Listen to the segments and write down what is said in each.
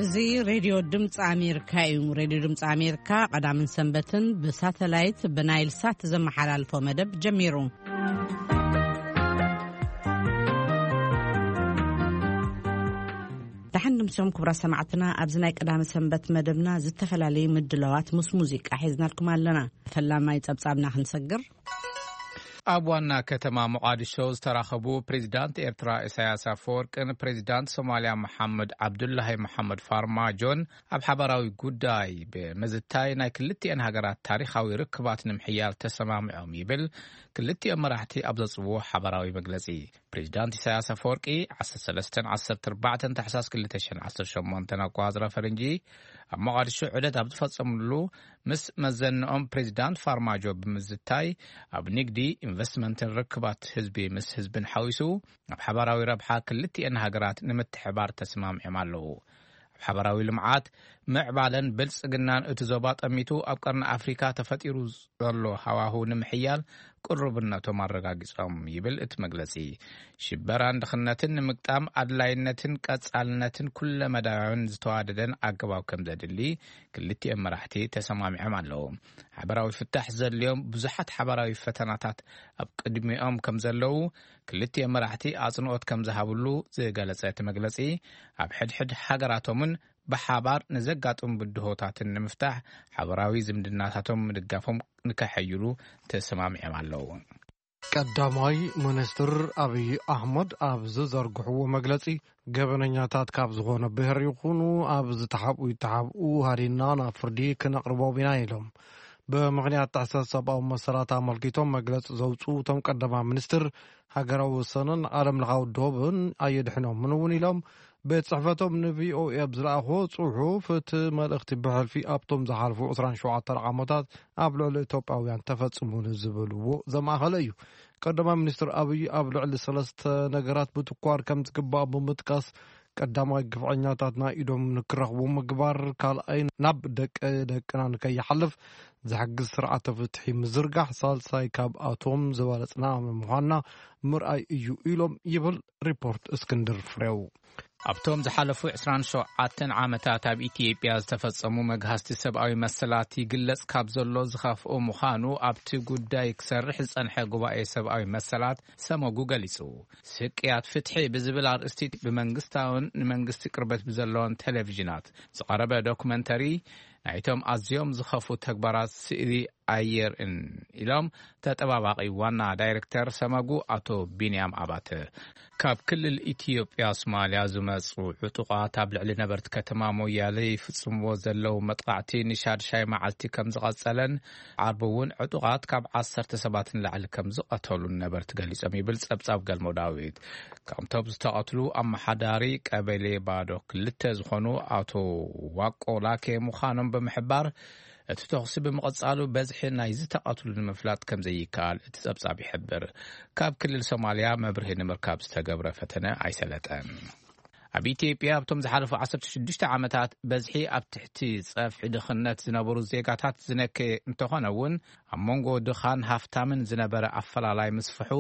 እዚ ሬድዮ ድምፂ ኣሜሪካ እዩ። ሬድዮ ድምፂ ኣሜሪካ ቀዳምን ሰንበትን ብሳተላይት ብናይል ሳት ዘመሓላልፎ መደብ ጀሚሩ። ደሓን ድምሶም ክቡራት ሰማዕትና፣ ኣብዚ ናይ ቀዳመ ሰንበት መደብና ዝተፈላለዩ ምድላዋት ምስ ሙዚቃ ሒዝናልኩም ኣለና። ፈላማይ ጸብጻብና ክንሰግር። ኣብ ዋና ከተማ ሞቓዲሾ ዝተራኸቡ ፕሬዚዳንት ኤርትራ ኢሳያስ ኣፈወርቅን ፕሬዚዳንት ሶማልያ መሓመድ ዓብዱላሂ መሓመድ ፋርማጆን ኣብ ሓባራዊ ጉዳይ ብምዝታይ ናይ ክልቲኤን ሃገራት ታሪኻዊ ርክባት ንምሕያል ተሰማሚዖም ይብል ክልቲኦም መራሕቲ ኣብ ዘጽውዎ ሓባራዊ መግለጺ። ፕሬዚዳንት ኢሳያስ ኣፈወርቂ ዓሰርተ ሰለስተ ዓሰርተ ኣርባዕተ ታሕሳስ ክልተ ሽሕን ዓሰርተ ሸሞንተን ኣቆጻጽራ ፈረንጂ ኣብ ሞቓዲሾ ዑደት ኣብ ዝፈጸምሉ ምስ መዘንኦም ፕሬዚዳንት ፋርማጆ ብምዝታይ ኣብ ንግዲ፣ ኢንቨስትመንትን ርክባት ህዝቢ ምስ ህዝብን ሓዊሱ ኣብ ሓባራዊ ረብሓ ክልቲኤን ሃገራት ንምትሕባር ተስማሚዖም ኣለዉ። ኣብ ሓባራዊ ልምዓት፣ ምዕባለን ብልጽግናን እቲ ዞባ ጠሚቱ ኣብ ቀርኒ ኣፍሪካ ተፈጢሩ ዘሎ ሃዋሁ ንምሕያል ቅሩብነቶም ኣረጋጊጾም ይብል እቲ መግለጺ። ሽበራን ድኽነትን ንምግጣም ኣድላይነትን ቀጻልነትን ኩለመዳያውን ዝተዋደደን ኣገባብ ከም ዘድሊ ክልቲኦም መራሕቲ ተሰማሚዖም ኣለዉ። ሓበራዊ ፍታሕ ዘድልዮም ብዙሓት ሓበራዊ ፈተናታት ኣብ ቅድሚኦም ከም ዘለዉ ክልቲኦም መራሕቲ ኣጽንኦት ከም ዝሃብሉ ዝገለጸ እቲ መግለጺ፣ ኣብ ሕድሕድ ሃገራቶምን ብሓባር ንዘጋጥሙ ብድሆታትን ንምፍታሕ ሓበራዊ ዝምድናታቶም ምድጋፎም ንከሐይሉ ተሰማሚዖም ኣለዉ። ቀዳማይ ሚኒስትር ኣብይ ኣሕመድ ኣብ ዝዘርግሕዎ መግለጺ፣ ገበነኛታት ካብ ዝኾነ ብሔር ይኹኑ ኣብ ዝተሓብኡ ይተሓብኡ ሃዲና ናብ ፍርዲ ክነቕርቦም ኢና ኢሎም። ብምኽንያት ጥሕሰት ሰብኣዊ መሰላት ኣመልኪቶም መግለጺ ዘውፅኡ እቶም ቀዳማይ ሚኒስትር፣ ሃገራዊ ወሰንን ዓለም ለኻዊ ዶብን ኣየድሕኖምን እውን ኢሎም። ቤት ጽሕፈቶም ንቪኦኤ ኣብ ዝለኣኽዎ ጽሑፍ፣ እቲ መልእኽቲ ብሕልፊ ኣብቶም ዝሓልፉ ዕስራን ሸውዓተን ዓመታት ኣብ ልዕሊ ኢትዮጵያውያን ተፈጽሙ ንዝበልዎ ዘማእኸለ እዩ። ቀዳማይ ሚኒስትር ኣብይ ኣብ ልዕሊ ሰለስተ ነገራት ብትኳር ከም ዝግባእ ብምጥቃስ፣ ቀዳማይ ግፍዐኛታት ናይ ኢዶም ንክረኽቡ ምግባር፣ ካልኣይ ናብ ደቂ ደቅና ንከይሓልፍ ዝሕግዝ ስርዓተ ፍትሒ ምዝርጋሕ፣ ሳልሳይ ካብኣቶም ዝበለጽና ምዃንና ምርኣይ እዩ ኢሎም ይብል ሪፖርት እስክንድር ፍሬው። ኣብቶም ዝሓለፉ ዕስራን ሸውዓተን ዓመታት ኣብ ኢትዮጵያ ዝተፈጸሙ መግሃስቲ ሰብኣዊ መሰላት ይግለጽ ካብ ዘሎ ዝኸፍኦ ምዃኑ ኣብቲ ጉዳይ ክሰርሕ ዝጸንሐ ጉባኤ ሰብኣዊ መሰላት ሰመጉ ገሊጹ። ስቅያት ፍትሒ ብዝብል ኣርእስቲ ብመንግስታውን ንመንግስቲ ቅርበት ብዘለዎን ቴሌቪዥናት ዝቐረበ ዶኩመንተሪ ናይቶም ኣዝዮም ዝኸፍኡ ተግባራት ስእሊ ኣየርእን ኢሎም ተጠባባቒ ዋና ዳይሬክተር ሰመጉ ኣቶ ቢንያም ኣባተ። ካብ ክልል ኢትዮጵያ ሶማልያ ዝመጹ ዕጡቓት ኣብ ልዕሊ ነበርቲ ከተማ ሞያሌ ይፍጽምዎ ዘለዉ መጥቓዕቲ ንሻድሻይ መዓልቲ ከም ዝቐጸለን ዓርቢ እውን ዕጡቓት ካብ ዓሰርተ ሰባት ንላዕሊ ከም ዝቐተሉን ነበርቲ ገሊጾም ይብል ጸብጻብ ገልሞ ዳዊት። ካብቶም ዝተቐትሉ ኣመሓዳሪ ቀበሌ ባዶ ክልተ ዝኾኑ ኣቶ ዋቆ ላኬ ምዃኖም ብምሕባር፣ እቲ ተኹሲ ብምቕጻሉ በዝሒ ናይ ዝተቐትሉ ንምፍላጥ ከም ዘይከኣል እቲ ጸብጻብ ይሕብር። ካብ ክልል ሶማልያ መብርሂ ንምርካብ ዝተገብረ ፈተነ ኣይሰለጠን። ኣብ ኢትዮጵያ ኣብቶም ዝሓለፉ ዓሰርተ ሽዱሽተ ዓመታት በዝሒ ኣብ ትሕቲ ጸፍሒ ድኽነት ዝነበሩ ዜጋታት ዝነከየ እንተኾነ እውን፣ ኣብ መንጎ ድኻን ሃፍታምን ዝነበረ ኣፈላላይ ምስፍሑ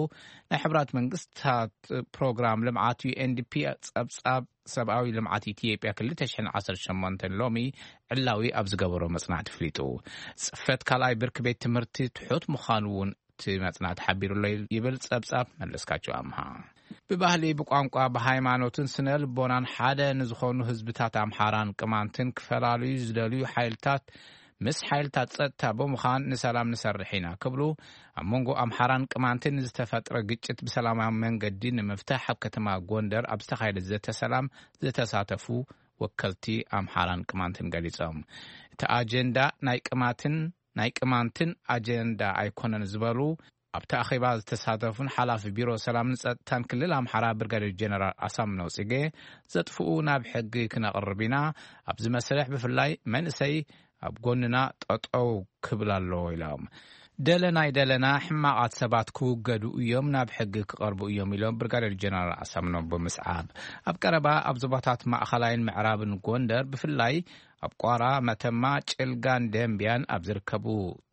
ናይ ሕብራት መንግስታት ፕሮግራም ልምዓት ዩ ኤን ዲ ፒ ጸብጻብ ሰብኣዊ ልምዓት ኢትዮጵያ ክልተ ሽሕን ዓሰርተ ሸሞንተን ሎሚ ዕላዊ ኣብ ዝገበሮ መጽናዕቲ ኣፍሊጡ። ጽፈት ካልኣይ ብርኪ ቤት ትምህርቲ ትሑት ምዃኑ እውን እቲ መጽናዕቲ ሓቢሩሎ ይብል ጸብጻብ መለስካቸው ኣምሃ። ብባህሊ፣ ብቋንቋ፣ ብሃይማኖትን ስነ ልቦናን ሓደ ንዝኾኑ ህዝብታት ኣምሓራን ቅማንትን ክፈላልዩ ዝደልዩ ሓይልታት ምስ ሓይልታት ጸጥታ ብምዃን ንሰላም ንሰርሕ ኢና ክብሉ፣ ኣብ መንጎ ኣምሓራን ቅማንትን ዝተፈጥረ ግጭት ብሰላማዊ መንገዲ ንምፍታሕ ኣብ ከተማ ጎንደር ኣብ ዝተኻየደ ዘተ ሰላም ዝተሳተፉ ወከልቲ ኣምሓራን ቅማንትን ገሊጾም። እቲ ኣጀንዳ ናይ ቅማትን ናይ ቅማንትን ኣጀንዳ ኣይኮነን ዝበሉ ኣብቲ ኣኼባ ዝተሳተፉን ሓላፊ ቢሮ ሰላምን ጸጥታን ክልል ኣምሓራ ብርጋዴር ጀነራል ኣሳምነው ጽጌ፣ ዘጥፍኡ ናብ ሕጊ ክነቕርብ ኢና፣ ኣብዚ መስርሕ ብፍላይ መንእሰይ ኣብ ጎንና ጠጠው ክብል ኣለዎ ኢሎም። ደለና ኣይደለና ሕማቓት ሰባት ክውገዱ እዮም፣ ናብ ሕጊ ክቐርቡ እዮም ኢሎም ብርጋዴር ጀነራል ኣሳምነው ብምስዓብ። ኣብ ቀረባ ኣብ ዞባታት ማእኸላይን ምዕራብን ጎንደር ብፍላይ ኣብ ቋራ፣ መተማ፣ ጭልጋን ደንቢያን ኣብ ዝርከቡ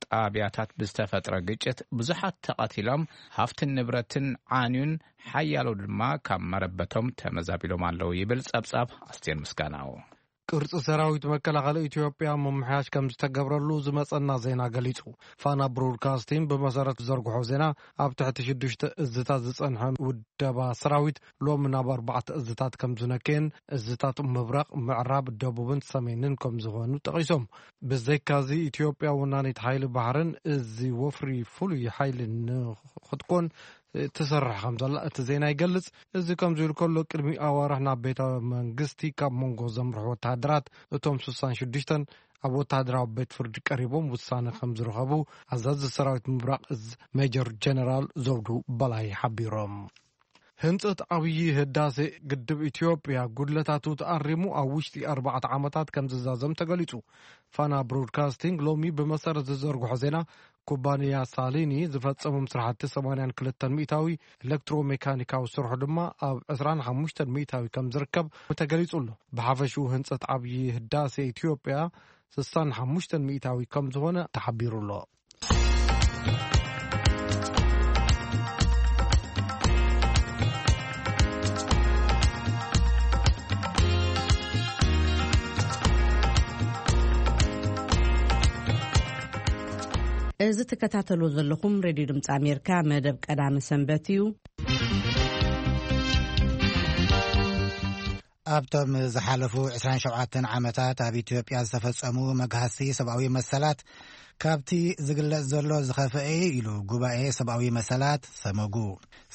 ጣብያታት ብዝተፈጥረ ግጭት ብዙሓት ተቐቲሎም፣ ሃፍትን ንብረትን ዓንዩን ሓያሎ ድማ ካብ መረበቶም ተመዛቢሎም ኣለዉ ይብል ጸብጻብ ኣስቴር ምስጋናው። ቅርጺ ሰራዊት መከላኸሊ ኢትዮጵያ ምምሕያሽ ከም ዝተገብረሉ ዝመጸና ዜና ገሊጹ። ፋና ብሮድካስቲንግ ብመሰረት ዝዘርግሖ ዜና፣ ኣብ ትሕቲ ሽዱሽተ እዝታት ዝጸንሐ ውደባ ሰራዊት ሎሚ ናብ ኣርባዕተ እዝታት ከም ዝነከየን፣ እዝታት ምብራቕ፣ ምዕራብ፣ ደቡብን ሰሜንን ከም ዝኾኑ ጠቒሶም። ብዘይካዚ፣ ኢትዮጵያ ወናኒት ሓይሊ ባሕርን እዚ ወፍሪ ፍሉይ ሓይሊ ንኽትኮን ትሰርሕ ከም ዘላ እቲ ዜና ይገልጽ። እዚ ከምዚ ኢሉ ከሎ፣ ቅድሚ ኣዋርሕ ናብ ቤተ መንግስቲ ካብ መንጎ ዘምርሑ ወተሃደራት፣ እቶም ስሳን ሽዱሽተን ኣብ ወተሃደራዊ ቤት ፍርዲ ቀሪቦም ውሳነ ከም ዝረኸቡ ኣዛዚ ሰራዊት ምብራቕ እዝ ሜጀር ጀነራል ዘውዱ በላይ ሓቢሮም። ህንጸት ዓብዪ ህዳሴ ግድብ ኢትዮጵያ ጉድለታቱ ተኣሪሙ ኣብ ውሽጢ ኣርባዕተ ዓመታት ከም ዝዛዘም ተገሊጹ። ፋና ብሮድካስቲንግ ሎሚ ብመሰረት ዝዘርግሖ ዜና፣ ኩባንያ ሳሊኒ ዝፈጸሞም ስራሕቲ ሰማንያን ክልተን ሚእታዊ፣ ኤሌክትሮሜካኒካዊ ስርሑ ድማ ኣብ ዕስራን ሓሙሽተን ሚእታዊ ከም ዝርከብ ተገሊጹ ኣሎ። ብሓፈሽኡ ህንጸት ዓብዪ ህዳሴ ኢትዮጵያ ስሳን ሓሙሽተን ሚእታዊ ከም ዝኾነ ተሓቢሩ ኣሎ። እዚ ትከታተሉ ዘለኹም ሬድዮ ድምፂ ኣሜሪካ መደብ ቀዳመ ሰንበት እዩ። ኣብቶም ዝሓለፉ ዕስራን ሸውዓተን ዓመታት ኣብ ኢትዮጵያ ዝተፈጸሙ መግሃስቲ ሰብኣዊ መሰላት ካብቲ ዝግለጽ ዘሎ ዝኸፍአ እዩ ኢሉ ጉባኤ ሰብኣዊ መሰላት ሰመጉ።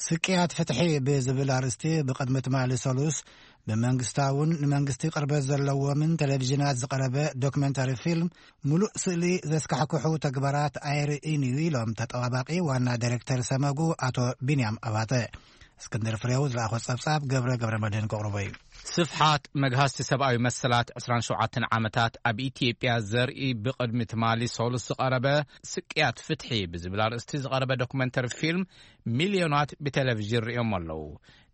ስቅያት ፍትሒ ብዝብል ኣርእስቲ ብቕድሚ ትማሊ ሰሉስ ብመንግስታውን ንመንግስቲ ቅርበት ዘለዎምን ቴሌቪዥናት ዝቐረበ ዶክመንተሪ ፊልም፣ ምሉእ ስእሊ ዘስካሕክሑ ተግባራት ኣየርእን እዩ ኢሎም ተጠባባቂ ዋና ዳይሬክተር ሰመጉ ኣቶ ቢንያም ኣባተ። እስክንድር ፍሬው ዝለኣኾ ጸብጻብ ገብረ ገብረ መድህን ከቕርቦ እዩ። ስፍሓት መግሃስቲ ሰብኣዊ መሰላት ዕስራን ሸውዓተን ዓመታት ኣብ ኢትዮጵያ ዘርኢ ብቕድሚ ትማሊ ሰሉስ ዝቐረበ ስቅያት ፍትሒ ብዝብል ኣርእስቲ ዝቐረበ ዶክመንተሪ ፊልም ሚልዮናት ብቴሌቪዥን ርእዮም ኣለዉ።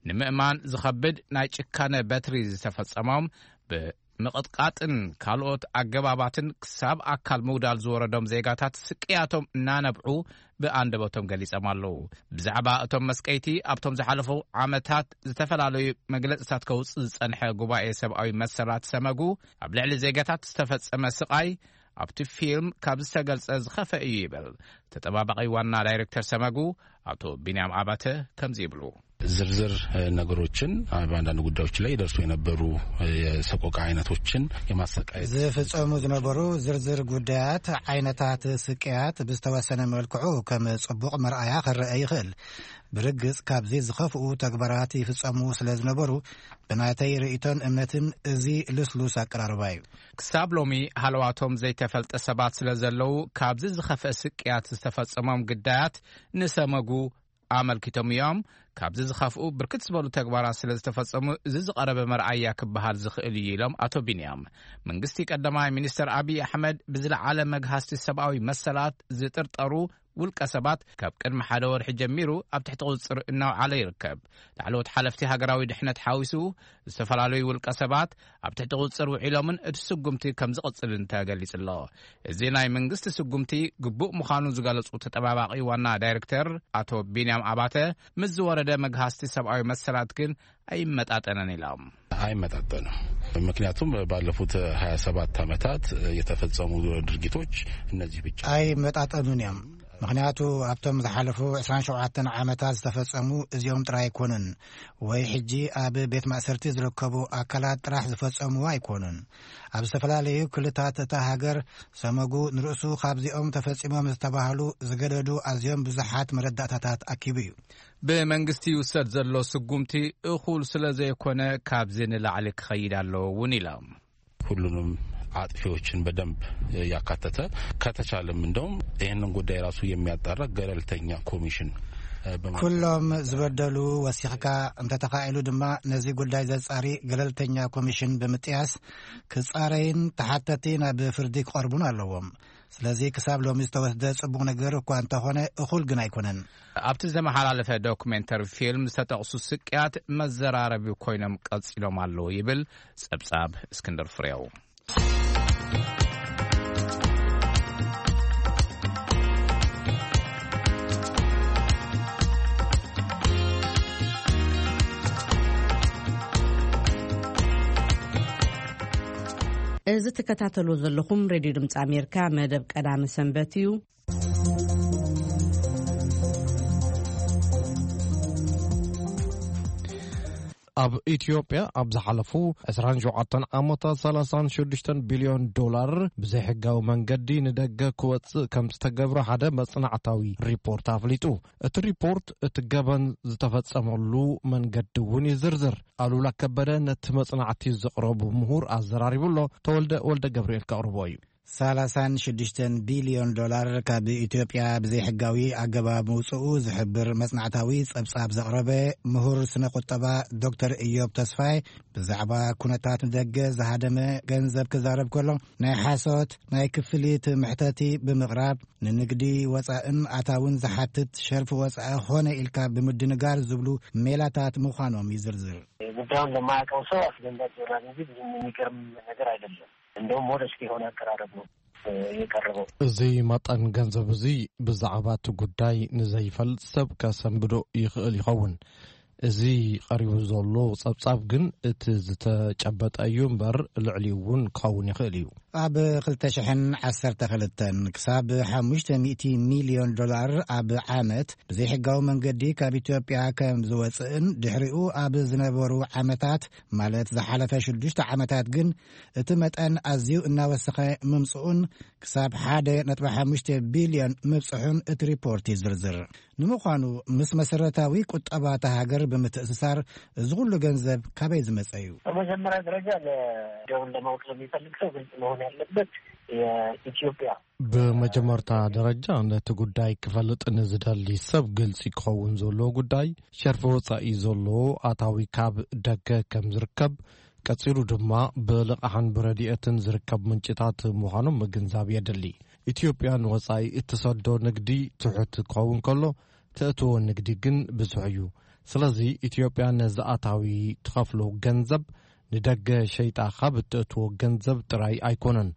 ንምእማን ዝኸብድ ናይ ጭካነ በትሪ ዝተፈጸሞም ብምቕጥቃጥን ካልኦት ኣገባባትን ክሳብ ኣካል ምጉዳል ዝወረዶም ዜጋታት ስቅያቶም እናነብዑ ብኣንደበቶም ገሊጾም ኣለዉ። ብዛዕባ እቶም መስቀይቲ ኣብቶም ዝሓለፉ ዓመታት ዝተፈላለዩ መግለጽታት ከውጽእ ዝጸንሐ ጉባኤ ሰብኣዊ መሰላት ሰመጉ፣ ኣብ ልዕሊ ዜጋታት ዝተፈጸመ ስቓይ ኣብቲ ፊልም ካብ ዝተገልጸ ዝኸፈ እዩ ይብል ተጠባባቒ ዋና ዳይሬክተር ሰመጉ ኣቶ ቢንያም ኣባተ። ከምዚ ይብሉ። ዝርዝር ነገሮችን በአንዳንድ ጉዳዮች ላይ ይደርሱ የነበሩ የሰቆቃ አይነቶችን የማሰቃየት ዝፍጸሙ ዝነበሩ ዝርዝር ጉዳያት፣ ዓይነታት ስቅያት ብዝተወሰነ መልክዑ ከም ጽቡቕ መርኣያ ክረአ ይኽእል። ብርግጽ ካብዚ ዝኸፍኡ ተግባራት ይፍጸሙ ስለ ዝነበሩ፣ ብናተይ ርእይቶን እምነትን እዚ ልስሉስ ኣቀራርባ እዩ። ክሳብ ሎሚ ሃለዋቶም ዘይተፈልጠ ሰባት ስለ ዘለዉ፣ ካብዚ ዝኸፍአ ስቅያት ዝተፈጸሞም ግዳያት ንሰመጉ ኣመልኪቶም እዮም። ካብዚ ዝኸፍኡ ብርክት ዝበሉ ተግባራት ስለ ዝተፈጸሙ፣ እዚ ዝቐረበ መርኣያ ክበሃል ዝኽእል እዩ ኢሎም ኣቶ ቢንያም። መንግስቲ ቀዳማይ ሚኒስተር ኣብይ ኣሕመድ ብዝለዓለ መግሃስቲ ሰብኣዊ መሰላት ዝጥርጠሩ ውልቀ ሰባት ካብ ቅድሚ ሓደ ወርሒ ጀሚሩ ኣብ ትሕቲ ቁጽጽር እናውዓለ ይርከብ። ላዕለዎት ሓለፍቲ ሃገራዊ ድሕነት ሓዊሱ ዝተፈላለዩ ውልቀ ሰባት ኣብ ትሕቲ ቁጽጽር ውዒሎምን እቲ ስጉምቲ ከም ዝቕጽልን ተገሊጹ ኣሎ። እዚ ናይ መንግስቲ ስጉምቲ ግቡእ ምዃኑ ዝገለጹ ተጠባባቒ ዋና ዳይሬክተር ኣቶ ቢንያም ኣባተ፣ ምስ ዝወረደ መግሃስቲ ሰብኣዊ መሰላት ግን ኣይመጣጠነን ኢሎም። አይመጣጠንም። ምክንያቱም ባለፉት ሃያ ሰባት ዓመታት የተፈጸሙ ድርጊቶች እነዚህ ብቻ ኣይመጣጠኑን እዮም። ምክንያቱ ኣብቶም ዝሓለፉ ዕስራን ሸውዓተን ዓመታት ዝተፈጸሙ እዚኦም ጥራይ ኣይኮኑን፣ ወይ ሕጂ ኣብ ቤት ማእሰርቲ ዝርከቡ ኣካላት ጥራሕ ዝፈጸሙ ኣይኮኑን። ኣብ ዝተፈላለዩ ክልታት እታ ሃገር ሰመጉ ንርእሱ ካብዚኦም ተፈጺሞም ዝተባህሉ ዝገደዱ ኣዝዮም ብዙሓት መረዳእታታት ኣኪቡ እዩ። ብመንግስቲ ይውሰድ ዘሎ ስጉምቲ እኹል ስለ ዘይኮነ፣ ካብዚ ንላዕሊ ክኸይድ ኣለዎ እውን ኢሎም። ሁሉንም አጥፊዎችን በደንብ ያካተተ፣ ከተቻለም እንደውም ይህንን ጉዳይ ራሱ የሚያጣራ ገለልተኛ ኮሚሽን፣ እ፣ በማቋቋም ኩሎም ዝበደሉ ወሲኽካ፣ እንተተኻኢሉ ድማ ነዚ ጉዳይ ዘጻሪ ገለልተኛ ኮሚሽን ብምጥያስ ክጻረይን ተሓተቲ ናብ ፍርዲ ክቐርቡን ኣለዎም። ስለዚ ክሳብ ሎሚ ዝተወስደ ጽቡቕ ነገር እኳ እንተኾነ፣ እኹል ግን ኣይኮነን። ኣብቲ ዝተመሓላለፈ ዶክሜንተሪ ፊልም ዝተጠቕሱ ስቅያት መዘራረቢ ኮይኖም ቀጺሎም ኣለዉ ይብል ጸብጻብ እስክንድር ፍሬው። እዚ ትከታተልዎ ዘለኹም ሬድዮ ድምፂ ኣሜሪካ መደብ ቀዳመ ሰንበት እዩ። ኣብ ኢትዮጵያ ኣብ ዝሓለፉ ዕስራን ሸውዓተን ዓመታት ሰላሳን ሽዱሽተን ቢልዮን ዶላር ብዘይሕጋዊ መንገዲ ንደገ ክወጽእ ከም ዝተገብረ ሓደ መጽናዕታዊ ሪፖርት ኣፍሊጡ። እቲ ሪፖርት እቲ ገበን ዝተፈጸመሉ መንገዲ እውን ይዝርዝር። ኣሉላ ከበደ ነቲ መጽናዕቲ ዘቕረቡ ምሁር ኣዘራሪቡ ኣሎ። ተወልደ ወልደ ገብርኤል ከቕርቦ እዩ። ሰላሳን ሽዱሽተን ቢልዮን ዶላር ካብ ኢትዮጵያ ብዘይሕጋዊ ኣገባብ ምውፅኡ ዝሕብር መጽናዕታዊ ጸብጻብ ዘቕረበ ምሁር ስነ ቁጠባ ዶክተር ኢዮብ ተስፋይ ብዛዕባ ኩነታት ንደገ ዝሃደመ ገንዘብ ክዛረብ ከሎ፣ ናይ ሓሶት ናይ ክፍሊት ምሕተቲ ብምቕራብ ንንግዲ ወጻእን ኣታውን ዝሓትት ሸርፊ ወጻኢ ኾነ ኢልካ ብምድንጋር ዝብሉ ሜላታት ምዃኖም ይዝርዝር። ጉዳዩን ለማያውቀው ሰው አስደንጋጭ ይሆናል እንጂ ብዙም የሚገርም ነገር አይደለም። እንደውም ሞደስት የሆነ አቀራረብ ነው የቀረበው። እዚ መጠን ገንዘብ እዚ ብዛዕባ እቲ ጉዳይ ንዘይፈልጥ ሰብ ከሰንብዶ ይኽእል ይኸውን። እዚ ቀሪቡ ዘሎ ጸብጻብ ግን እቲ ዝተጨበጠ እዩ እምበር፣ ልዕሊኡ እውን ክኸውን ይኽእል እዩ። ኣብ ክልተ ሽሕን ዓሰርተ ክልተን ክሳብ ሓሙሽተ ሚእቲ ሚልዮን ዶላር ኣብ ዓመት ብዘይሕጋዊ መንገዲ ካብ ኢትዮጵያ ከም ዝወጽእን፣ ድሕሪኡ ኣብ ዝነበሩ ዓመታት፣ ማለት ዝሓለፈ ሽዱሽተ ዓመታት ግን እቲ መጠን ኣዝዩ እናወሰኸ ምምጽኡን ክሳብ ሓደ ነጥቢ ሓሙሽተ ቢልዮን ምብጽሑን እቲ ሪፖርት ይዝርዝር። ንምዃኑ ምስ መሰረታዊ ቁጠባ እታ ሃገር ብምትእስሳር እዚ ኩሉ ገንዘብ ካበይ ዝመጸ እዩ? በመጀመሪያ ደረጃ ለጉዳዩን ለማወቅ ለሚፈልግ ሰው ግልጽ መሆን ያለበት የኢትዮጵያ ብመጀመርታ ደረጃ ነቲ ጉዳይ ክፈልጥ ንዝደሊ ሰብ ግልጺ ክኸውን ዘለዎ ጉዳይ ሸርፊ ወጻኢ ዘለዎ ኣታዊ ካብ ደገ ከም ዝርከብ፣ ቀጺሉ ድማ ብልቓሕን ብረድኤትን ዝርከብ ምንጭታት ምዃኖም ምግንዛብ የድሊ። ኢትዮጵያ ንወጻኢ እትሰዶ ንግዲ ትሑት ክኸውን ከሎ፣ ተእትዎ ንግዲ ግን ብዙሕ እዩ። ስለዚ ኢትዮጵያ ነዚ ኣታዊ ትኸፍሎ ገንዘብ ንደገ ሸይጣ ካብ እተእትዎ ገንዘብ ጥራይ ኣይኮነን፣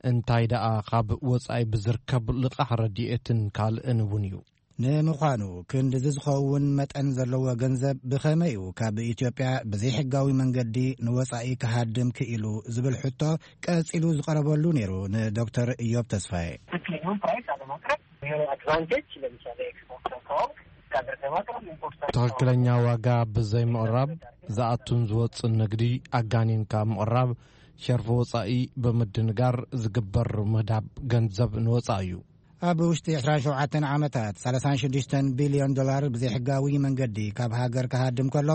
እንታይ ደኣ ካብ ወጻኢ ብዝርከብ ልቓሕ ረድኤትን ካልእን እውን እዩ። ንምዃኑ ክንድዚ ዝኸውን መጠን ዘለዎ ገንዘብ ብኸመይ እዩ ካብ ኢትዮጵያ ብዘይሕጋዊ መንገዲ ንወጻኢ ክሃድም ክኢሉ ዝብል ሕቶ ቀጺሉ ዝቐረበሉ ነይሩ ንዶክተር ኢዮብ ተስፋዬ። ትክክለኛውን ፕራይስ አለማቅረብ፣ የሆነ አድቫንቴጅ ለምሳሌ ኤክስፖርተር ከሆንክ ከሀገር ለማቅረብ ኢምፖርተር ትኽክለኛ ዋጋ ብዘይምቕራብ፣ ዝኣቱን ዝወፅን ንግዲ ኣጋኒንካ ምቕራብ፣ ሸርፊ ወፃኢ ብምድንጋር ዝግበር ምህዳብ ገንዘብ ንወፃኢ እዩ። ኣብ ውሽጢ ዕስራን ሸውዓተን ዓመታት ሰላሳን ሽዱሽተን ቢልዮን ዶላር ብዘይሕጋዊ መንገዲ ካብ ሃገር ክሃድም ከሎ፣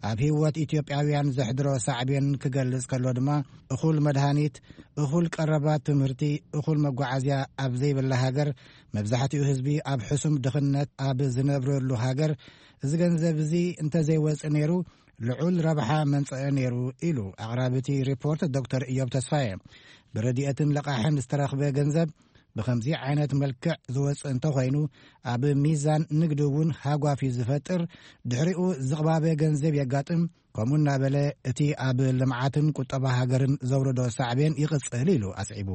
ኣብ ህይወት ኢትዮጵያውያን ዘሕድሮ ሳዕቤን ክገልጽ ከሎ ድማ፣ እኹል መድሃኒት፣ እኹል ቀረባት ትምህርቲ፣ እኹል መጓዓዝያ ኣብ ዘይብላ ሃገር፣ መብዛሕትኡ ህዝቢ ኣብ ሕሱም ድኽነት ኣብ ዝነብረሉ ሃገር፣ እዚ ገንዘብ እዚ እንተዘይወጽእ ነይሩ፣ ልዑል ረብሓ መንጸአ ነይሩ ኢሉ ኣቕራቢ እቲ ሪፖርት ዶክተር ኢዮብ ተስፋየ። ብረድኤትን ለቓሕን ዝተረኽበ ገንዘብ ብኸምዚ ዓይነት መልክዕ ዝወጽእ እንተኾይኑ፣ ኣብ ሚዛን ንግዲ እውን ሃጓፍ እዩ ዝፈጥር። ድሕሪኡ ዝቕባበ ገንዘብ የጋጥም። ከምኡ እናበለ እቲ ኣብ ልምዓትን ቁጠባ ሃገርን ዘውረዶ ሳዕቤን ይቕጽል ኢሉ ኣስዒቡ።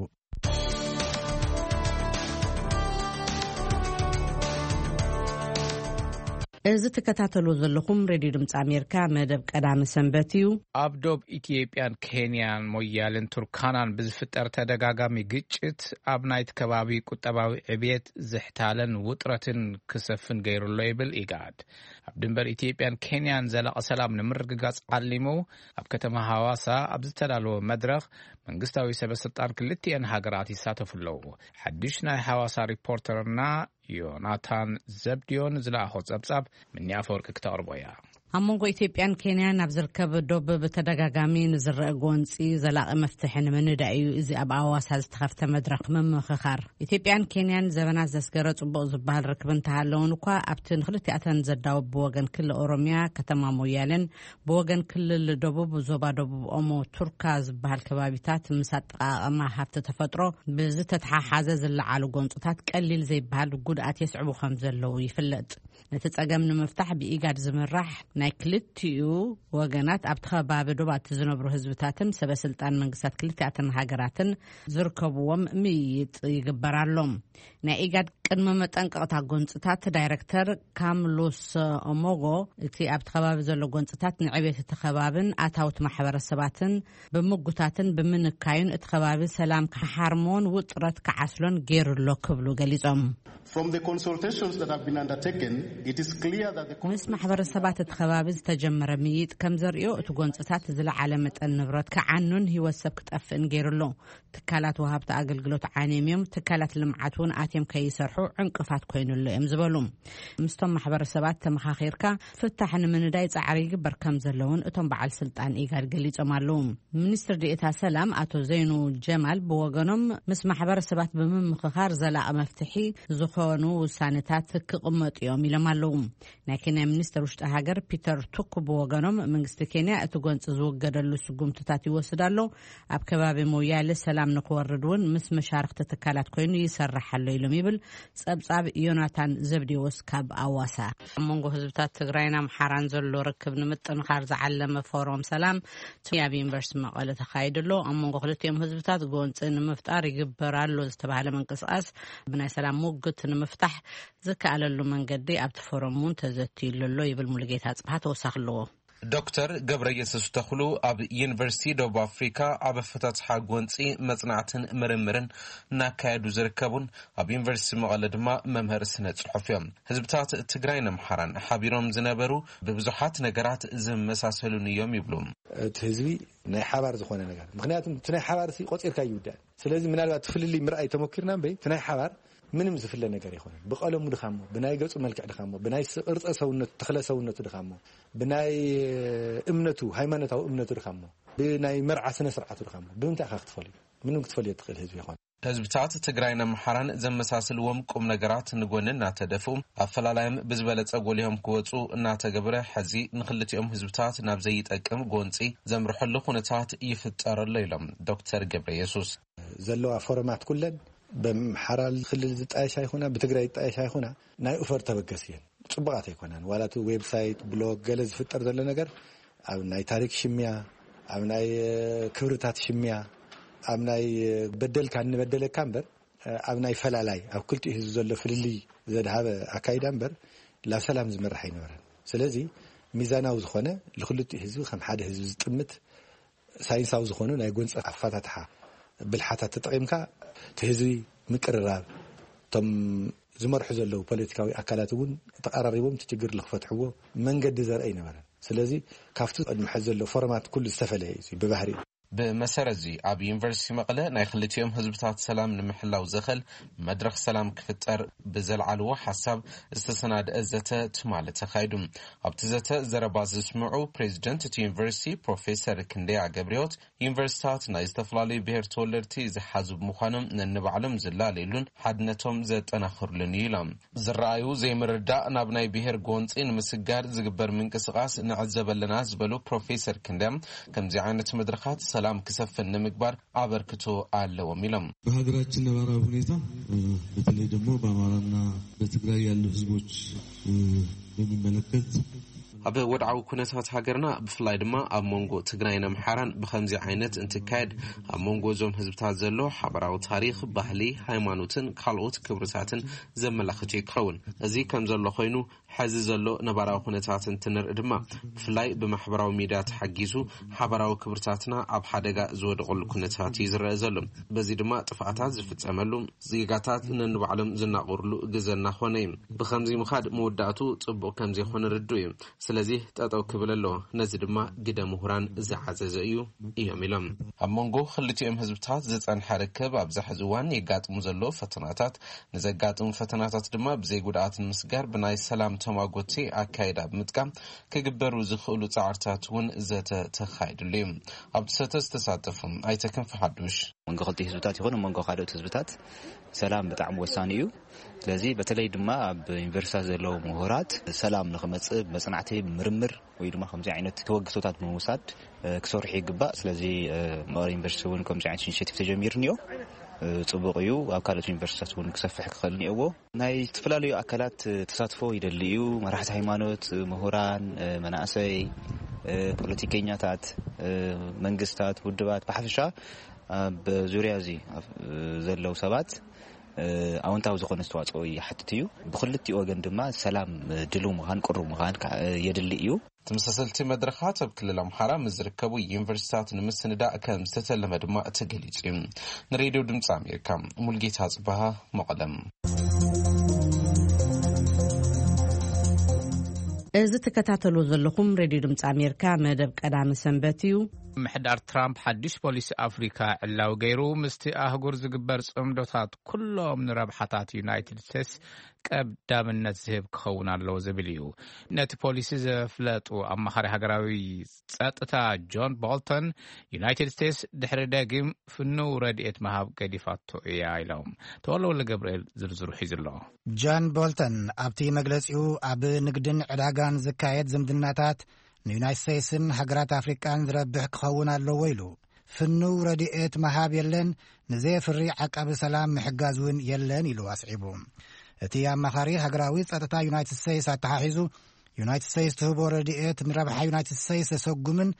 እዚ ትከታተልዎ ዘለኹም ሬድዮ ድምፂ ኣሜሪካ መደብ ቀዳሚ ሰንበት እዩ። ኣብ ዶብ ኢትዮጵያን ኬንያን ሞያልን ቱርካናን ብዝፍጠር ተደጋጋሚ ግጭት ኣብ ናይቲ ከባቢ ቁጠባዊ ዕብየት ዝሕታለን ውጥረትን ክሰፍን ገይሩ ኣሎ ይብል ኢጋድ። ኣብ ድንበር ኢትዮጵያን ኬንያን ዘላቒ ሰላም ንምርግጋጽ ዓሊሙ ኣብ ከተማ ሃዋሳ ኣብ ዝተዳለወ መድረኽ መንግስታዊ ሰበ ስልጣን ክልቲኤን ሃገራት ይሳተፉ ኣለዉ። ሓድሽ ናይ ሃዋሳ ሪፖርተርና ዮናታን ዘብድዮን ዝለኣኾ ጸብጻብ ምኒ ኣፈወርቂ ክተቕርቦ እያ። ኣብ መንጎ ኢትዮጵያን ኬንያን ኣብ ዝርከብ ዶብ ብተደጋጋሚ ንዝረአ ጎንጺ ዘላቒ መፍትሒ ንምንዳይ እዩ እዚ ኣብ ኣዋሳ ዝተኸፍተ መድረኽ ምምኽኻር። ኢትዮጵያን ኬንያን ዘበናት ዘስገረ ጽቡቕ ዝበሃል ርክብ እንተሃለውን እኳ፣ ኣብቲ ንክልቲኣተን ዘዳውብ ብወገን ክልል ኦሮሚያ ከተማ ሞያሌን ብወገን ክልል ደቡብ ዞባ ደቡብ ኦሞ ቱርካ ዝበሃል ከባቢታት ምስ ኣጠቓቕማ ሃብቲ ተፈጥሮ ብዝተተሓሓዘ ዝለዓሉ ጎንጽታት ቀሊል ዘይበሃል ጉድኣት የስዕቡ ከም ዘለዉ ይፍለጥ። ነቲ ጸገም ንምፍታሕ ብኢጋድ ዝምራሕ ናይ ክልቲኡ ወገናት ኣብቲ ከባቢ ዶባት ዝነብሩ ህዝብታትን ሰበ ስልጣን መንግስታት ክልቲኣተን ሃገራትን ዝርከብዎም ምይይጥ ይግበር ኣሎ። ናይ ኢጋድ ቅድመ መጠንቀቕታ ጎንፅታት ዳይረክተር ካምሉስ ኦሞጎ፣ እቲ ኣብቲ ከባቢ ዘሎ ጎንፅታት ንዕቤት እቲ ከባብን ኣታውት ማሕበረሰባትን ብምጉታትን ብምንካዩን እቲ ከባቢ ሰላም ክሓርሞን ውጥረት ክዓስሎን ገይሩ ኣሎ ክብሉ ገሊጾም። From the consultations that have been undertaken, it is clear that the ምስ ማሕበረሰባት እቲ ከባቢ ዝተጀመረ ምይጥ ከም ዘርእዮ፣ እቲ ጎንፅታት ዝለዓለ መጠን ንብረት ክዓኑን ህይወት ሰብ ክጠፍእን ገይሩ ኣሎ። ትካላት ወሃብቲ ኣገልግሎት ዓንዮም እዮም። ትካላት ልምዓት እውን ኣትዮም ከይሰርሑ ዕንቅፋት ኮይኑሉ እዮም ዝበሉ ምስቶም ማሕበረሰባት ተመኻኺርካ ፍታሕ ንምንዳይ ጻዕሪ ይግበር ከም ዘለውን እቶም በዓል ስልጣን ኢጋድ ገሊጾም ኣለዉ። ሚኒስትር ዴኤታ ሰላም ኣቶ ዘይኑ ጀማል ብወገኖም፣ ምስ ማሕበረሰባት ብምምኽኻር ዘላቒ መፍትሒ ዝኾኑ ውሳነታት ክቕመጡ እዮም ኢሎም ኣለዉ። ናይ ኬንያ ሚኒስትር ውሽጢ ሃገር ፒተር ቱክ ብወገኖም፣ መንግስቲ ኬንያ እቲ ጎንፂ ዝውገደሉ ስጉምትታት ይወስድ ኣሎ፣ ኣብ ከባቢ ሞያሌ ሰላም ንክወርድ እውን ምስ መሻርክቲ ትካላት ኮይኑ ይሰርሕ ኣሎ ኢሎም ይብል ጸብጻብ ዮናታን ዘብዴዎስ ካብ ኣዋሳ። ኣብ መንጎ ህዝብታት ትግራይን ኣምሓራን ዘሎ ርክብ ንምጥንኻር ዝዓለመ ፎረም ሰላም ኣብ ዩኒቨርሲቲ መቐለ ተኻይዱ ኣሎ። ኣብ መንጎ ክልቲኦም ህዝብታት ጎንፂ ንምፍጣር ይግበር ኣሎ ዝተባህለ ምንቅስቃስ ብናይ ሰላም ሙግት ንምፍታሕ ዝከኣለሉ መንገዲ ኣብቲ ፎረም እውን ተዘትዩሉ ኣሎ ይብል ሙሉጌታ ኣጽብሃ። ተወሳኺ ኣለዎ። ዶክተር ገብረ የሱስ ተኽሉ ኣብ ዩኒቨርሲቲ ደቡብ ኣፍሪካ ኣብ ኣፈታትሓ ጎንፂ መፅናዕትን ምርምርን እናካየዱ ዝርከቡን ኣብ ዩኒቨርሲቲ መቐለ ድማ መምህር ስነ ፅሑፍ እዮም። ህዝብታት ትግራይን ኣምሓራን ሓቢሮም ዝነበሩ ብብዙሓት ነገራት ዝመሳሰሉን እዮም ይብሉ። እቲ ህዝቢ ናይ ሓባር ዝኾነ ነገር፣ ምክንያቱ እቲ ናይ ሓባር ሲ ቆፂርካ ይውዳእ። ስለዚ ምናልባት እቲ ፍልልይ ምርኣይ ተመኪርና እምበይ፣ እቲ ናይ ሓባር ምንም ዝፍለ ነገር ኣይኮነን። ብቐለሙ ድኻሞ፣ ብናይ ገፁ መልክዕ ድኻሞ፣ ብናይ ስ- ቅርፀ ሰውነቱ፣ ተኽለ ሰውነቱ ድኻሞ፣ ብናይ እምነቱ፣ ሃይማኖታዊ እምነቱ ድኻሞ፣ ብናይ መርዓ ስነ ስርዓቱ ድኻሞ፣ ብምንታይ ኢኻ ክትፈልዮ? ምንም ክትፈልዮ ትኽእል ህዝቢ ይኾን። ህዝብታት ትግራይን ኣምሓራን ዘመሳስልዎም ቁም ነገራት ንጎኒ እናተደፍኡ፣ ኣፈላላዮም ብዝበለፀ ጎሊሆም ክወፁ እናተገበረ፣ ሕዚ ንክልቲኦም ህዝብታት ናብ ዘይጠቅም ጎንፂ ዘምርሐሉ ኩነታት ይፍጠር ኣሎ ኢሎም ዶክተር ገብረ የሱስ። ዘለዋ ፎረማት ኩለን ብኣምሓራ ክልል ዝጣየሽ ኣይኮና፣ ብትግራይ ዝጣየሽ ኣይኮና፣ ናይ ኡፈር ተበገስ እየን። ፅቡቓት ኣይኮናን። ዋላ እቲ ዌብሳይት፣ ብሎግ፣ ገለ ዝፍጠር ዘሎ ነገር ኣብ ናይ ታሪክ ሽምያ፣ ኣብ ናይ ክብርታት ሽምያ፣ ኣብ ናይ በደልካ እንበደለካ እምበር ኣብ ናይ ፈላላይ፣ ኣብ ክልቲኡ ህዝቢ ዘሎ ፍልልይ ዘድሃበ ኣካይዳ እምበር ላብ ሰላም ዝመርሕ ኣይነበረን። ስለዚ ሚዛናዊ ዝኾነ፣ ንክልቲኡ ህዝቢ ከም ሓደ ህዝቢ ዝጥምት ሳይንሳዊ ዝኾኑ ናይ ጎንፂ ኣፈታትሓ ብልሓታት ተጠቒምካ እቲ ህዝቢ ምቅርራብ፣ እቶም ዝመርሑ ዘለዉ ፖለቲካዊ ኣካላት እውን ተቐራሪቦም እቲ ችግር ንክፈትሕዎ መንገዲ ዘርኢ ኣይነበረን። ስለዚ ካብቲ ቅድሚ ሕዚ ዘሎ ፎረማት ኩሉ ዝተፈለየ እዩ ብባህሪኡ። ብመሰረት እዚ ኣብ ዩኒቨርሲቲ መቐለ ናይ ክልቲኦም ህዝብታት ሰላም ንምሕላው ዘኸል መድረኽ ሰላም ክፍጠር ብዘልዓልዎ ሓሳብ ዝተሰናድአ ዘተ ትማሊ ተኻይዱ። ኣብቲ ዘተ ዘረባ ዘስምዑ ፕሬዚደንት እቲ ዩኒቨርሲቲ ፕሮፌሰር ክንደያ ገብረሕይወት፣ ዩኒቨርሲታት ናይ ዝተፈላለዩ ብሔር ተወለድቲ ዝሓዙ ብምዃኖም ነንባዕሎም ዝላለዩሉን ሓድነቶም ዘጠናኽሩሉን እዩ ኢሎም። ዝረኣዩ ዘይምርዳእ ናብ ናይ ብሔር ጎንፂ ንምስጋር ዝግበር ምንቅስቃስ ንዕዘብ ኣለና ዝበሉ ፕሮፌሰር ክንደያ፣ ከምዚ ዓይነት መድረኻት ሰላም ክሰፍን ንምግባር ኣበርክቶ ኣለዎም ኢሎም። በሀገራችን ነባራዊ ሁኔታ በተለይ ደግሞ በአማራና በትግራይ ያሉ ህዝቦች በሚመለከት ኣብ ወድዓዊ ኩነታት ሃገርና ብፍላይ ድማ ኣብ መንጎ ትግራይን ኣምሓራን ብኸምዚ ዓይነት እንትካየድ ኣብ መንጎ እዞም ህዝብታት ዘሎ ሓበራዊ ታሪኽ፣ ባህሊ፣ ሃይማኖትን ካልኦት ክብርታትን ዘመላኽት እዩ ክኸውን። እዚ ከም ዘሎ ኮይኑ ሕዚ ዘሎ ነባራዊ ኩነታት እንትንርኢ ድማ ብፍላይ ብማሕበራዊ ሚድያ ተሓጊዙ ሓበራዊ ክብርታትና ኣብ ሓደጋ ዝወደቐሉ ኩነታት እዩ ዝረአ ዘሎ። በዚ ድማ ጥፍኣታት ዝፍፀመሉ፣ ዜጋታት ነንባዕሎም ዝናቆርሉ ግዘ እናኾነ እዩ። ብኸምዚ ምኻድ መወዳእቱ ፅቡቕ ከም ዘይኮነ ርዱእ እዩ። ስለዚህ ጠጠው ክብል ኣለዎ። ነዚ ድማ ግደ ምሁራን ዝዓዘዘ እዩ እዮም ኢሎም። ኣብ መንጎ ክልቲኦም ህዝብታት ዝፀንሐ ርክብ ኣብዚ ሕዚ እዋን የጋጥሙ ዘለዉ ፈተናታት፣ ንዘጋጥሙ ፈተናታት ድማ ብዘይ ጉድኣት ንምስጋር ብናይ ሰላም ተማጎቲ ኣካይዳ ብምጥቃም ክግበሩ ዝኽእሉ ፃዕርታት እውን ዘተ ተኻይድሉ እዩ። ኣብቲ ዘተ ዝተሳተፉ ኣይተ ክንፈ ሓዱሽ፣ መንጎ ክልቲኡ ህዝብታት ይኹን መንጎ ካልኦት ህዝብታት ሰላም ብጣዕሚ ወሳኒ እዩ። ስለዚ በተለይ ድማ ኣብ ዩኒቨርሲታት ዘለዉ ምሁራት ሰላም ንክመፅእ ብመፅናዕቲ፣ ብምርምር ወይ ድማ ከምዚ ዓይነት ተበግሶታት ብምውሳድ ክሰርሑ ይግባእ። ስለዚ መቐለ ዩኒቨርሲቲ እውን ከምዚ ዓይነት ኢኒሼቲቭ ተጀሚሩ እኒኦ፣ ፅቡቕ እዩ። ኣብ ካልኦት ዩኒቨርሲታት እውን ክሰፍሕ ክኽእል እኒኦዎ። ናይ ዝተፈላለዩ ኣካላት ተሳትፎ ይደሊ እዩ። መራሕቲ ሃይማኖት፣ ምሁራን፣ መናእሰይ፣ ፖለቲከኛታት፣ መንግስታት፣ ውድባት ብሓፈሻ ኣብ ዙርያ እዚ ዘለዉ ሰባት ኣወንታዊ ዝኾነ ኣስተዋፅኦ ይሓትት እዩ። ብክልቲኡ ወገን ድማ ሰላም ድልው ምዃን፣ ቅሩብ ምዃን የድሊ እዩ። ተመሳሰልቲ መድረኻት ኣብ ክልል ኣምሓራ ምስ ዝርከቡ ዩኒቨርሲታት ንምስንዳእ ከም ዝተተለመ ድማ ተገሊጹ እዩ። ንሬድዮ ድምፂ ኣሜሪካ፣ ሙልጌታ ጽበሃ፣ መቐለም። እዚ ትከታተሉ ዘለኹም ሬድዮ ድምፂ ኣሜሪካ መደብ ቀዳሚ ሰንበት እዩ። ምሕዳር ትራምፕ ሓድሽ ፖሊሲ ኣፍሪካ ዕላዊ ገይሩ፣ ምስቲ ኣህጉር ዝግበር ጽምዶታት ኩሎም ንረብሓታት ዩናይትድ ስቴትስ ቀዳምነት ዝህብ ክኸውን ኣለዎ ዝብል እዩ። ነቲ ፖሊሲ ዘፍለጡ ኣማኻሪ ሃገራዊ ጸጥታ ጆን ቦልተን፣ ዩናይትድ ስቴትስ ድሕሪ ደጊም ፍኑው ረድኤት ምሃብ ገዲፋቶ እያ ኢሎም። ተወለወለ ገብርኤል ዝርዝሩ ሒዙ ኣሎ። ጆን ቦልተን ኣብቲ መግለጺኡ፣ ኣብ ንግድን ዕዳጋን ዝካየድ ዝምድናታት ንዩናይትድ ስቴትስን ሃገራት ኣፍሪቃን ዝረብሕ ክኸውን ኣለዎ ኢሉ። ፍኑው ረድኤት ምሃብ የለን፣ ንዘየፍሪ ዓቃቢ ሰላም ምሕጋዝ እውን የለን ኢሉ ኣስዒቡ። እቲ ኣማኻሪ ሃገራዊ ጸጥታ ዩናይትድ ስቴትስ ኣተሓሒዙ፣ ዩናይትድ ስቴትስ ትህቦ ረድኤት ንረብሓ ዩናይትድ ስቴትስ ዘሰጉምን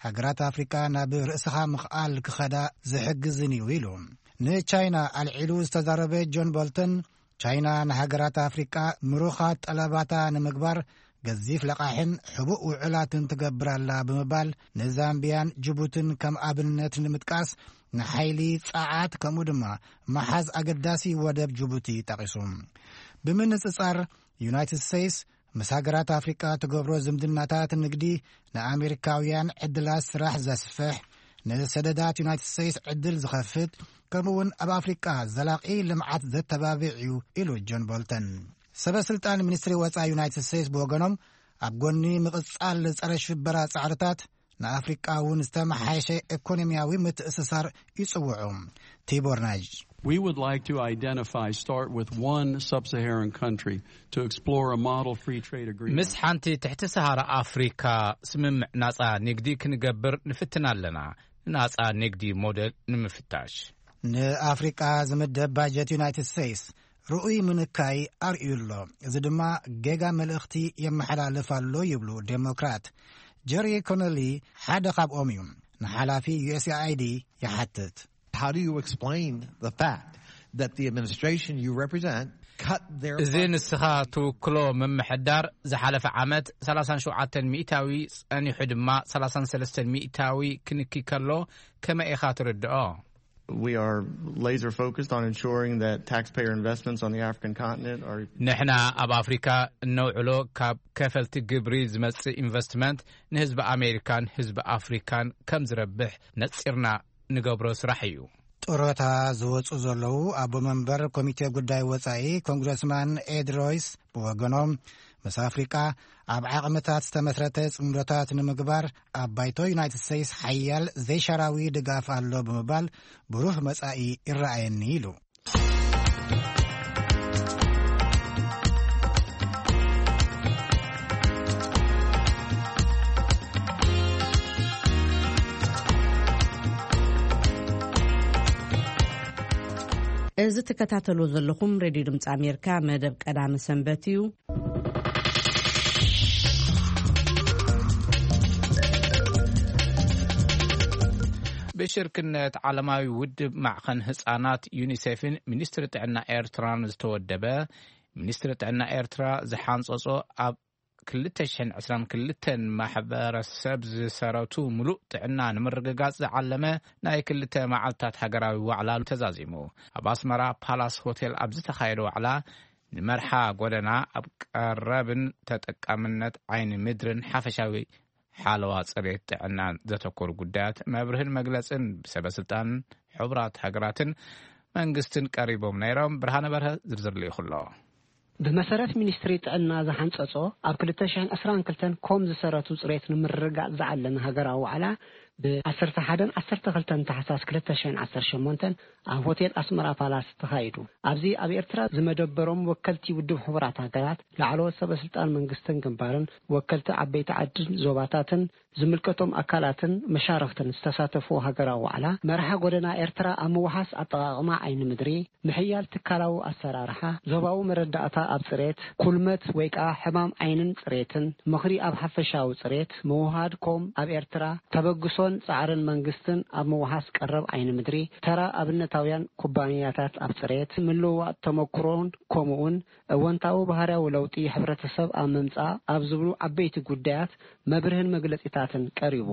ሃገራት ኣፍሪቃ ናብ ርእስኻ ምኽኣል ክኸዳ ዝሕግዝን እዩ ኢሉ። ንቻይና ኣልዒሉ ዝተዛረበ ጆን ቦልተን፣ ቻይና ንሃገራት ኣፍሪቃ ምሩኻት ጠለባታ ንምግባር ገዚፍ ለቓሕን ሕቡእ ውዕላትን ትገብር ኣላ ብምባል፣ ንዛምቢያን ጅቡትን ከም ኣብነት ንምጥቃስ፣ ንሓይሊ ጸዓት ከምኡ ድማ መሓዝ ኣገዳሲ ወደብ ጅቡቲ ጠቒሱ። ብምንጽጻር፣ ዩናይትድ ስቴትስ ምስ ሃገራት ኣፍሪቃ ትገብሮ ዝምድናታት ንግዲ ንኣሜሪካውያን ዕድላት ስራሕ ዘስፍሕ፣ ንሰደዳት ዩናይትድ ስቴትስ ዕድል ዝኸፍት፣ ከምኡውን ኣብ ኣፍሪቃ ዘላቒ ልምዓት ዘተባብዕ እዩ ኢሉ ጆን ቦልተን። ሰበ ስልጣን ሚኒስትሪ ወጻኢ ዩናይትድ ስቴትስ ብወገኖም፣ ኣብ ጎኒ ምቕጻል ጸረ ሽበራ ጻዕርታት፣ ንኣፍሪቃ እውን ዝተመሓየሸ ኢኮኖሚያዊ ምትእስሳር ይጽውዑ። ቲቦር ናጅ We would like to identify, start with one sub-Saharan country to explore a model free trade agreement. ምስ ሓንቲ ትሕቲ ሰሃራ ኣፍሪካ ስምምዕ ናጻ ንግዲ ክንገብር ንፍትን ኣለና፣ ንናጻ ንግዲ ሞዴል ንምፍታሽ። ንኣፍሪቃ ዝምደብ ባጀት ዩናይትድ ስቴትስ ርኡይ ምንካይ ኣርእዩ ኣሎ። እዚ ድማ ጌጋ መልእኽቲ የመሓላልፍ ኣሎ ይብሉ ዴሞክራት። ጀሪ ኮነሊ ሓደ ካብኦም እዩ። ንሓላፊ ዩ ኤስ ኤ ኣይ ዲ ይሓትት። How do you explain the fact that the administration you represent cut their እዚ budget? ንስኻ ትውክሎ ምምሕዳር ዝሓለፈ ዓመት ሰላሳን ሸውዓተን ሚእታዊ ጸኒሑ ድማ ሰላሳን ሰለስተን ሚእታዊ ክንኪ ከሎ ከመይ ኢኻ ትርድኦ? We are laser focused on ensuring that taxpayer investments on the African continent are ንሕና ኣብ ኣፍሪካ እነውዕሎ ካብ ከፈልቲ ግብሪ ዝመጽእ ኢንቨስትመንት ንህዝቢ ኣሜሪካን ህዝቢ ኣፍሪካን ከም ዝረብሕ ነጺርና ንገብሮ ስራሕ እዩ። ጡረታ ዝወጹ ዘለዉ ኣቦ መንበር ኮሚቴ ጉዳይ ወጻኢ ኮንግረስማን ኤድ ሮይስ ብወገኖም፣ ምስ ኣፍሪቃ ኣብ ዓቕምታት ዝተመስረተ ጽምዶታት ንምግባር ኣብ ባይቶ ዩናይትድ ስቴትስ ሓያል ዘይሻራዊ ድጋፍ ኣሎ ብምባል፣ ብሩህ መጻኢ ይረኣየኒ ኢሉ። እዚ ትከታተሉ ዘለኹም ሬድዮ ድምፂ ኣሜሪካ መደብ ቀዳሚ ሰንበት እዩ። ብሽርክነት ዓለማዊ ውድብ ማዕኸን ህፃናት ዩኒሴፍን ሚኒስትሪ ጥዕና ኤርትራን ዝተወደበ፣ ሚኒስትሪ ጥዕና ኤርትራ ዝሓንፀጾ ኣብ ክልተ ሽሕን ዕስራን ክልተን ማሕበረሰብ ዝሰረቱ ምሉእ ጥዕና ንምርግጋጽ ዝዓለመ ናይ ክልተ መዓልታት ሃገራዊ ዋዕላ ተዛዚሙ። ኣብ ኣስመራ ፓላስ ሆቴል ኣብ ዝተኻየደ ዋዕላ፣ ንመርሓ ጎደና ኣብ ቀረብን ተጠቃምነት ዓይኒ ምድርን ሓፈሻዊ ሓለዋ ጽሬት ጥዕናን ዘተኮሩ ጉዳያት መብርህን መግለጽን ብሰበ ስልጣን ሕቡራት ሃገራትን መንግስትን ቀሪቦም ነይሮም። ብርሃነ በርሀ ዝርዝር ልኢኹ ኣሎ። ብመሰረት ሚኒስትሪ ጥዕና ዝሓንጸጾ፣ ኣብ ክልተ ሽሕን ዕስራን ክልተን ኮም ዝሰረቱ ጽሬት ንምርግጋጽ ዝዓለመ ሃገራዊ ዋዕላ፣ ብ ዓሰርተ ሓደን ዓሰርተ ክልተን ታሕሳስ ክልተ ሽሕን ዓሰርተ ሸሞንተን ኣብ ሆቴል ኣስመራ ፓላስ ተኻይዱ። ኣብዚ ኣብ ኤርትራ ዝመደበሮም ወከልቲ ውድብ ሕቡራት ሃገራት፣ ላዕለዎት ሰበ ስልጣን መንግስትን ግንባርን፣ ወከልቲ ዓበይቲ ዓድን ዞባታትን፣ ዝምልከቶም ኣካላትን መሻርኽትን ዝተሳተፍዎ ሃገራዊ ዋዕላ፣ መርሓ ጎደና ኤርትራ ኣብ ምውሓስ ኣጠቓቕማ ዓይኒ ምድሪ፣ ምሕያል ትካላዊ ኣሰራርሓ፣ ዞባዊ መረዳእታ ኣብ ጽሬት፣ ኩልመት ወይ ከኣ ሕማም ዓይንን ጽሬትን፣ ምኽሪ ኣብ ሓፈሻዊ ጽሬት፣ ምውሃድ ኮም ኣብ ኤርትራ፣ ተበግሶ ጻዕርን መንግስትን ኣብ ምውሓስ ቀረብ ዓይኒ ምድሪ፣ ተራ ኣብነታውያን ኩባንያታት ኣብ ጽሬት፣ ምልውዋጥ ተመኩሮን ከምኡውን እወንታዊ ባህርያዊ ለውጢ ሕብረተሰብ ኣብ ምምጻእ ኣብ ዝብሉ ዓበይቲ ጉዳያት መብርህን መግለጺታትን ቀሪቡ።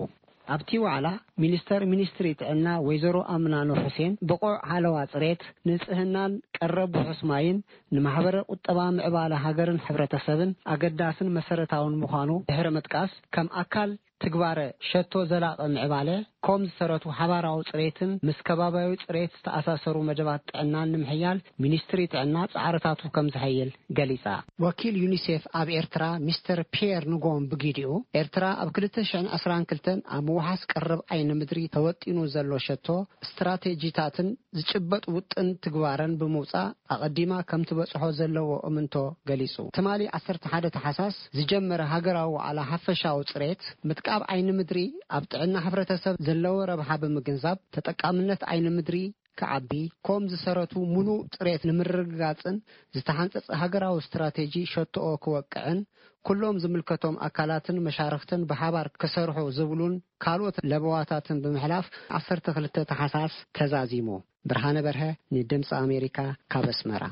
ኣብቲ ዋዕላ ሚኒስተር ሚኒስትሪ ጥዕና ወይዘሮ ኣምናኖ ሑሴን ብቑዕ ሓለዋ ጽሬት፣ ንጽህናን ቀረብ ውሑስ ማይን ንማሕበረ ቁጠባ ምዕባለ ሃገርን ሕብረተሰብን ኣገዳስን መሰረታውን ምዃኑ ድሕሪ ምጥቃስ፣ ከም ኣካል ትግባረ ሸቶ ዘላቒ ምዕባለ ኮም ዝሰረቱ ሓባራዊ ጽሬትን ምስ ከባቢያዊ ጽሬት ዝተኣሳሰሩ መደባት ጥዕናን ንምሕያል ሚኒስትሪ ጥዕና ጻዕርታቱ ከም ዝሕይል ገሊጻ። ወኪል ዩኒሴፍ ኣብ ኤርትራ ሚስተር ፒየር ንጎም ብጊዲኡ፣ ኤርትራ ኣብ ክልተ ሽሕን ዕስራን ክልተን ኣብ ምውሓስ ቀረብ ዓይኒ ምድሪ ተወጢኑ ዘሎ ሸቶ ስትራቴጂታትን ዝጭበጥ ውጥን ትግባረን ብምውጻእ ኣቐዲማ ከም ትበጽሖ ዘለዎ እምንቶ ገሊጹ። ትማሊ ዓሰርተ ሓደ ታሕሳስ ዝጀመረ ሃገራዊ ዋዕላ ሓፈሻዊ ጽሬት ምትቃብ ዓይኒ ምድሪ ኣብ ጥዕና ሕብረተሰብ ዘለዎ ረብሓ ብምግንዛብ ተጠቃምነት ዓይኒ ምድሪ ክዓቢ፣ ኮም ዝሰረቱ ምሉእ ጽሬት ንምርግጋጽን ዝተሓንጸጸ ሃገራዊ ስትራቴጂ ሸቶኦ ክወቅዕን ኩሎም ዝምልከቶም ኣካላትን መሻርኽትን ብሓባር ክሰርሑ ዝብሉን ካልኦት ለበዋታትን ብምሕላፍ ዓሰርተ ክልተ ታሕሳስ ተዛዚሙ። ብርሃነ በርሀ ንድምፂ ኣሜሪካ ካብ ኣስመራ።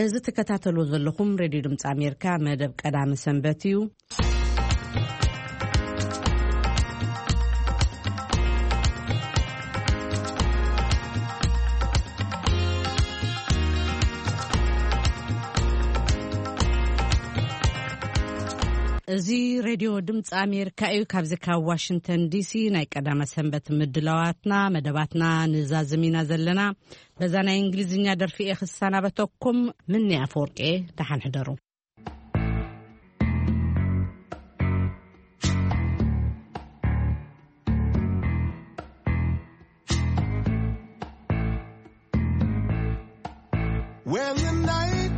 እዚ ትከታተሉ ዘለኹም ሬድዮ ድምፂ ኣሜሪካ መደብ ቀዳሚ ሰንበት እዩ። እዚ ሬድዮ ድምፂ ኣሜሪካ እዩ። ካብዚ ካብ ዋሽንግተን ዲሲ ናይ ቀዳመ ሰንበት ምድላዋትና፣ መደባትና ንዛዝም ኢና ዘለና። በዛ ናይ እንግሊዝኛ ደርፊ እየ ክሰናበተኩም። ምኒ ኣፈወርቂ፣ ደሓን ሕደሩ። When the night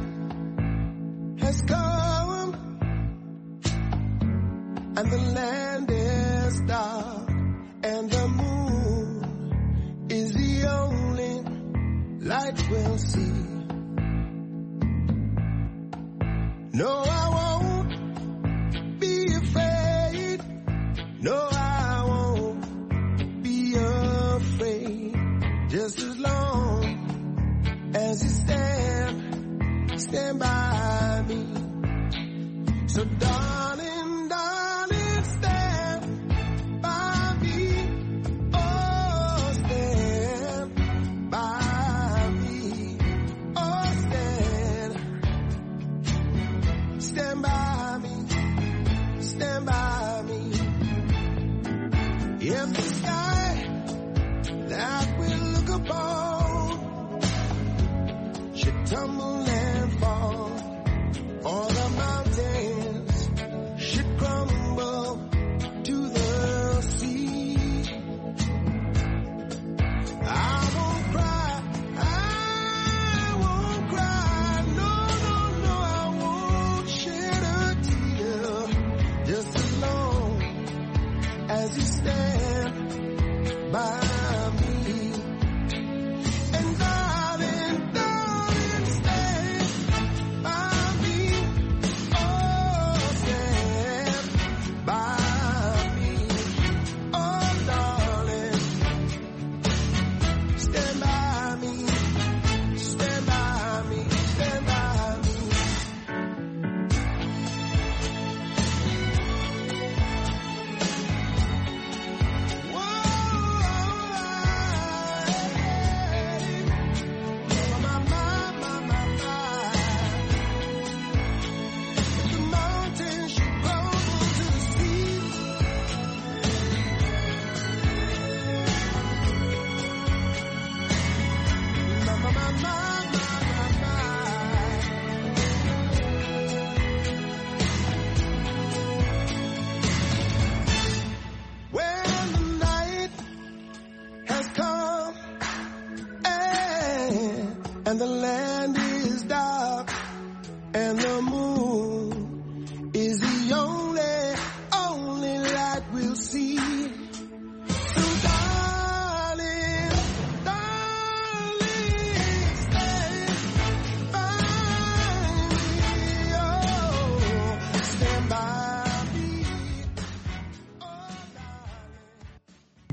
has come and the land is dark and the moon is the only light we'll see. No, I won't be afraid. No, I won't be afraid. Just as long as you stand, stand by me. So, darling, darling, stand by me. Oh, stand by me. Oh, stand, stand by me. Stand by me. If the sky that we look upon should tumble and fall, or the mountains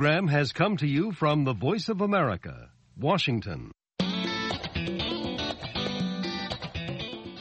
Program has come to you from the Voice of America, Washington.